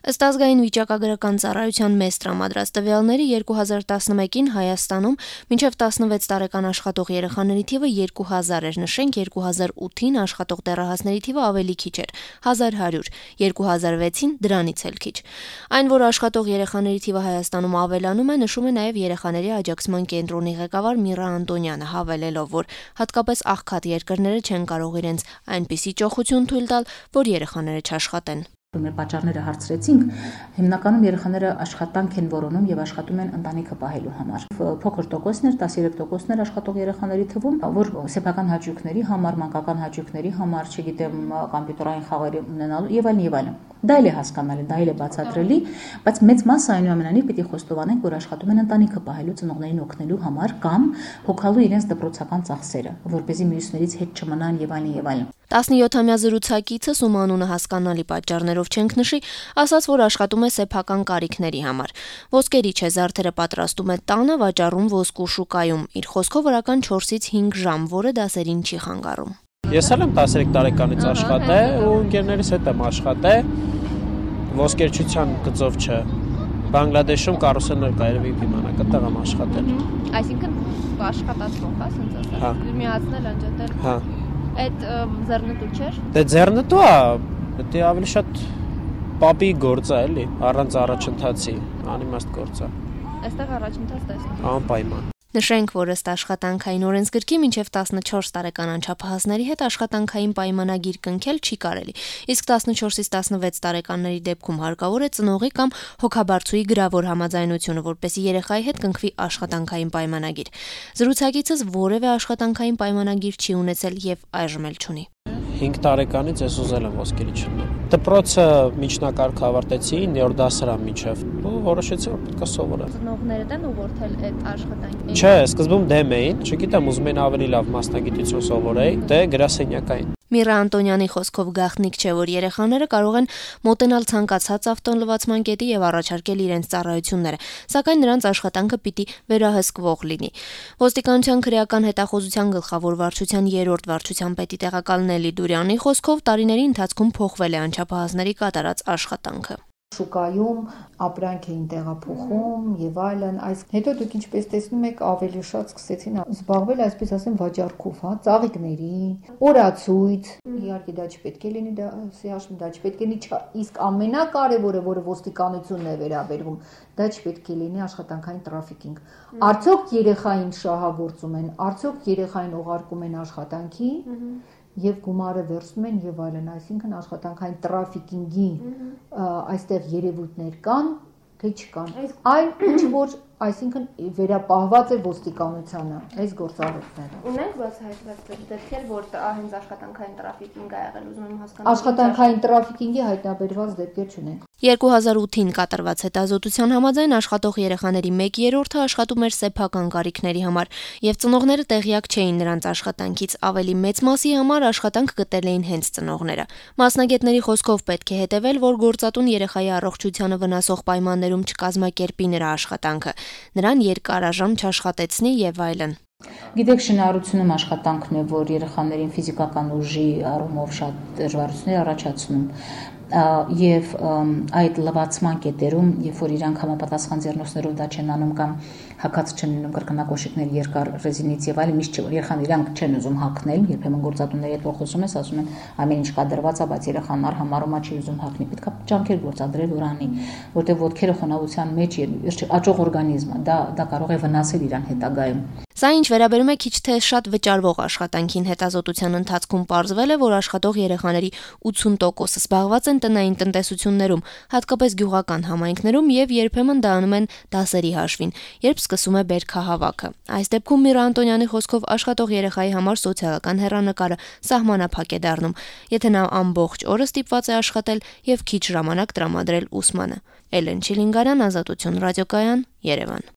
Ըստ ազգային վիճակագրական ծառայության մեծ տրամադրած տվյալների 2011-ին Հայաստանում մինչև 16 տարեկան աշխատող երեխաների թիվը 2000 էր, նշենք 2008-ին աշխատող դեռահասների թիվը ավելի քիչ էր՝ 1100, 2006-ին դրանից էլ քիչ։ Այն, որ աշխատող երեխաների թիվը Հայաստանում ավելանում է, նշում է նաև երեխաների աջակցման կենտրոնի ղեկավար Միրա Անտոնյանը, հավելելով, որ հատկապես աղքատ երկրները չեն կարող իրենց այնպիսի ճոխություն թույլ տալ, որ երեխաները չաշխատեն։ Մեր պատճառները հարցրեցինք, հիմնականում երեխաները աշխատանք են որոնում եւ աշխատում են ընտանիքը պահելու համար։ Փոքր տոկոսներ, 13% աշխատող երեխաների թվում, որ սեփական հաճույքների համար, մանկական հաճույքների համար, չգիտեմ, կոմպյուտերային խաղերի ունենալու եւ այլն։ Դա էլ է հասկանալի, դա էլ է բացատրելի, բայց մեծ մասը այնուամենայնիվ պիտի խոստովանենք, որ աշխատում են ընտանիքը պահելու, ծնողներին օգնելու համար կամ հոգալու իրենց դպրոցական ծախսերը, որպեսզի մյուսներից հետ չմնան եւ այլն։ 17-ամյա զրուցակիցս, ում անունը հասկանալի պատճառներով չենք նշի, ասաց, որ աշխատում է սեփական կարիքների համար։ Ոսկերի չէ, զարդերը պատրաստում է տանը, վաճառում ոսկու շուկայում։ Իր խոսքով օրական 4-ից 5 ժամ, որը դասերին չի խանգարում։ Ես էլ եմ 13 տարեկանից աշխատել ու ընկերներիս հետ եմ աշխատել, ոսկերչության գծով չէ։ Բանգլադեշում կարուսելներ կա, երևի պիմանա, այդտեղ եմ աշխատել։ Այսինքն աշխատացող, հա, ասենց ասած։ Միացնել, անջատել։ Հա։ Այդ ձեռնտու չէր։ Դե ձեռնտու է, դա ավելի շատ պապի գործ է, էլի, առանց առաջընթացի, անիմաստ գործ է։ Այստեղ առաջընթաց տեսնում։ Անպայման։ Նշենք, որ ըստ աշխատանքային օրենսգրքի մինչև 14 տարեկան անչափահասների հետ աշխատանքային պայմանագիր կնքել չի կարելի, իսկ 14-ից 16 տարեկանների դեպքում հարկավոր է ծնողի կամ հոգաբարձուի գրավոր համաձայնությունը, որպեսզի երեխայի հետ կնքվի աշխատանքային պայմանագիր։ Զրուցակիցս որևէ աշխատանքային պայմանագիր չի ունեցել եւ այժմ էլ չունի։ 5 տարեկանից ես ուզել եմ ոսկերի չլինել։ Դպրոցը միջնակարգ ավարտեցի 9-րդ դասարան միջև ու որոշեցի, որ պետք է սովորեմ։ Ծնողներդ են ուղղորդել այդ աշխատանքին։ Չէ, սկզբում դեմ էին, չգիտեմ, ուզում էին ավելի լավ մասնագիտություն սովորեի, դե գրասենյակային։ Միրա Անտոնյանի խոսքով գաղտնիք չէ, որ երեխաները կարող են մոտենալ ցանկացած ավտոլվացման կետի եւ առաջարկել իրենց ծառայությունները, սակայն նրանց աշխատանքը պիտի վերահսկվող լինի։ Ոստիկանության քրեական հետախուզության գլխավոր վարչության 3-րդ վարչության պետի տեղակալ Նելի Դուրյանի խոսքով տարիների ընթացքում փոխվել է անչափահասների կատարած աշխատանքը։ Շուկայում ապրանք էին տեղափոխում եւ այլն, այս հետո դուք ինչպես տեսնում եք ավելի շատ սկսեցին զբաղվել, այսպես ասեմ, վաճառքով, հա, ծաղիկների, օրացույց, իհարկե դա չպետք է լինի, դա սիաշմ դա չպետք է լինի, իսկ ամենակարևորը, որը ոստիկանությունն է վերաբերվում, դա չպետք է լինի աշխատանքային տրաֆիկինգ։ Արդյոք երեխային շահագործում են, արդյոք երեխային ուղարկում են աշխատանքի եւ գումարը վերցնում են եւ այլն, այսինքն աշխատանքային տրաֆիկինգի այստեղ երևույթներ կան, թե չկան։ Այն ինչ որ այսինքն վերապահված է ոստիկանությանը այս գործառույթները։ Ունենք բացահայտված դեպքեր, որ հենց աշխատանքային տրաֆիկինգ ա եղել, ուզում եմ հասկանալ։ Աշխատանքային տրաֆիկինգի հայտնաբերված դեպքեր չունենք։ 2008-ին կատարված հետազոտության համաձայն աշխատող երեխաների 1/3-ը աշխատում էր սեփական կարիքների համար, եւ ծնողները տեղյակ չէին նրանց աշխատանքից, ավելի մեծ մասի համար աշխատանք գտել էին հենց ծնողները։ Մասնագետների խոսքով պետք է հետևել, որ գործատուն երեխայի առողջությանը վնասող պայմաններում չկազմակերպի նրա աշխատանքը, նրան երկարաժամ չաշխատեցնի եւ այլն։ Գիտեք, շինարարությունում աշխատանքն է, որ երեխաներին ֆիզիկական ուժի առումով շատ դժվարություններ առաջացնում եւ այդ լվացման կետերում, երբ որ իրանք համապատասխան ձեռնոցներով դա չեն անում կամ հակած չեն լինում կրկնակոշիկներ երկար ռեզինից եւ այլն, միշտ չէ որ երեխան իրանք չեն ուզում հագնել, երբեմն գործատուների հետ խոսում ես, ասում են ամեն ինչ կադրված է, բայց երեխան համարում է չի ուզում հագնի, պետք է ջանքեր գործադրել որ անի, որտեղ ոտքերը խոնավության մեջ աճող օրգանիզմ է, դա կարող է վնասել իրան հետագայում։ Սա ինչ վերաբերում է քիչ թե շատ վճարվող աշխատանքին, հետազոտության ընթացքում պարզվել է, որ աշխատող երեխաների 80%-ը զբաղված են տնային տնտեսություններում, հատկապես գյուղական համայնքներում եւ երբեմն դա անում են դասերի հաշվին, երբ սկսում է բերքահավաքը։ Այս դեպքում Միրա Անտոնյանի խոսքով աշխատող երեխայի համար սոցիալական հեռանկարը սահմանափակ է դառնում, եթե նա ամբողջ օրը ստիպված է աշխատել եւ քիչ ժամանակ տրամադրել ուսմանը։ Էլեն Չիլինգարյան, Ազատություն ռադիոկայան, Երևան։